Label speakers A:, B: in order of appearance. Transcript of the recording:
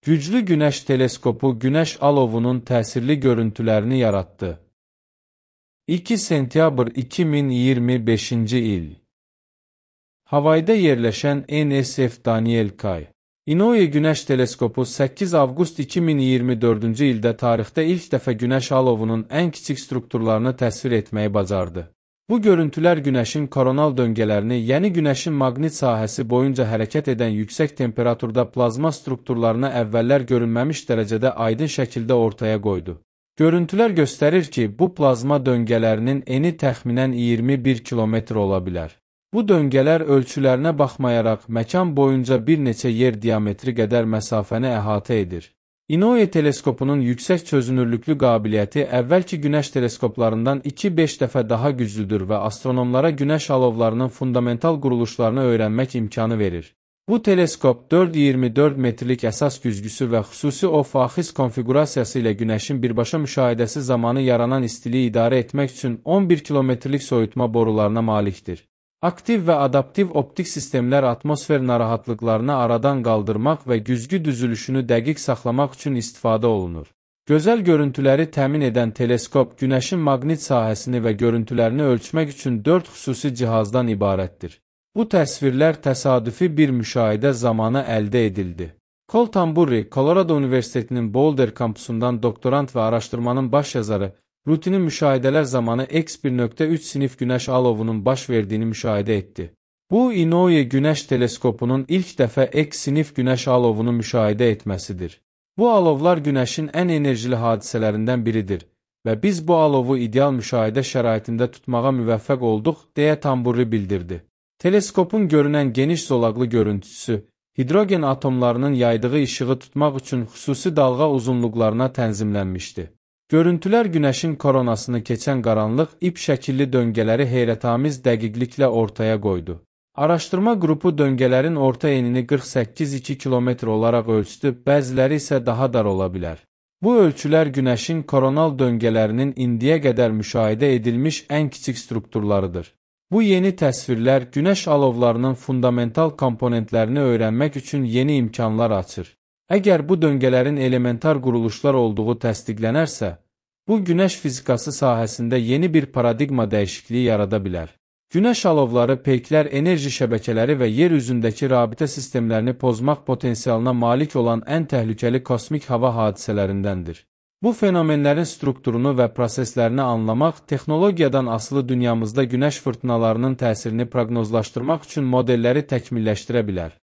A: Güclü Günəş teleskopu günəş alovunun təsirli görüntülərini yaratdı. 2 sentyabr 2025-ci il. Havayda yerləşən NSF Daniel K. Inouye Günəş teleskopu 8 avqust 2024-cü ildə tarixdə ilk dəfə günəş alovunun ən kiçik strukturlarını təsvir etməyi bacardı. Bu görüntülər günəşin koronal döngələrini, yəni günəşin maqnit sahəsi boyunca hərəkət edən yüksək temperaturda plazma strukturlarına əvvəllər görünməmiş dərəcədə aydın şəkildə ortaya qoydu. Görüntülər göstərir ki, bu plazma döngələrinin eni təxminən 21 kilometr ola bilər. Bu döngələr ölçülərinə baxmayaraq məkan boyunca bir neçə yer diametri qədər məsafəni əhatə edir. Inouye teleskopunun yüksək çözünürlüklü qabiliyyəti əvvəlki günəş teleskoplarından 2-5 dəfə daha güclüdür və astronomlara günəş alovlarının fundamental quruluşlarını öyrənmək imkanı verir. Bu teleskop 4,24 metrlik əsas güzgüsü və xüsusi off-axis konfiqurasiyası ilə günəşin birbaşa müşahidəsi zamanı yaranan istiliyi idarə etmək üçün 11 kilometrlik soyutma borularına malikdir. Aktiv və adaptiv optik sistemlər atmosfer narahatlıqlarını aradan qaldırmaq və güzgü düzülüşünü dəqiq saxlamaq üçün istifadə olunur. Gözəl görüntüləri təmin edən teleskop günəşin maqnit sahəsini və görüntülərini ölçmək üçün 4 xüsusi cihazdan ibarətdir. Bu təsvirlər təsadüfi bir müşahidə zamanı əldə edildi. Cole Tamburri, Colorado Universitetinin Boulder kampusundan doktorant və araşdırmanın baş yazarı, rutini müşahidələr zamanı X1.3 sinif günəş alovunun baş verdiyini müşahidə etdi. Bu, Inouye Günəş teleskopunun ilk dəfə X sinif günəş alovunu müşahidə etməsidir. Bu alovlar günəşin ən enerjili hadisələrindən biridir və biz bu alovu ideal müşahidə şəraitində tutmağa müvəffəq olduq, deyə Tamburri bildirdi. Teleskopun görünən geniş zolaqlı görüntüsü, hidrogen atomlarının yaydığı işığı tutmaq üçün xüsusi dalğa uzunluqlarına tənzimlənmişdi. Görüntülər günəşin koronasını keçən qaranlıq, ip şəkilli döngələri heyrətamiz dəqiqliklə ortaya qoydu. Araşdırma qrupu döngələrin orta enini 48,2 kilometr olaraq ölçdü, bəziləri isə daha dar ola bilər. Bu ölçülər günəşin koronal döngələrinin indiyə qədər müşahidə edilmiş ən kiçik strukturlarıdır. Bu yeni təsvirlər günəş alovlarının fundamental komponentlərini öyrənmək üçün yeni imkanlar açır. Əgər bu döngələrin elementar quruluşlar olduğu təsdiqlənərsə, bu günəş fizikası sahəsində yeni bir paradigma dəyişikliyi yarada bilər. Günəş alovları peyklər enerji şəbəkələri və yer üzündəki rabitə sistemlərini pozmaq potensialına malik olan ən təhlükəli kosmik hava hadisələrindəndir. Bu fenomenlərin strukturunu və proseslərini anlamaq, texnologiyadan asılı dünyamızda günəş fırtınalarının təsirini proqnozlaşdırmaq üçün modelləri təkmilləşdirə bilər.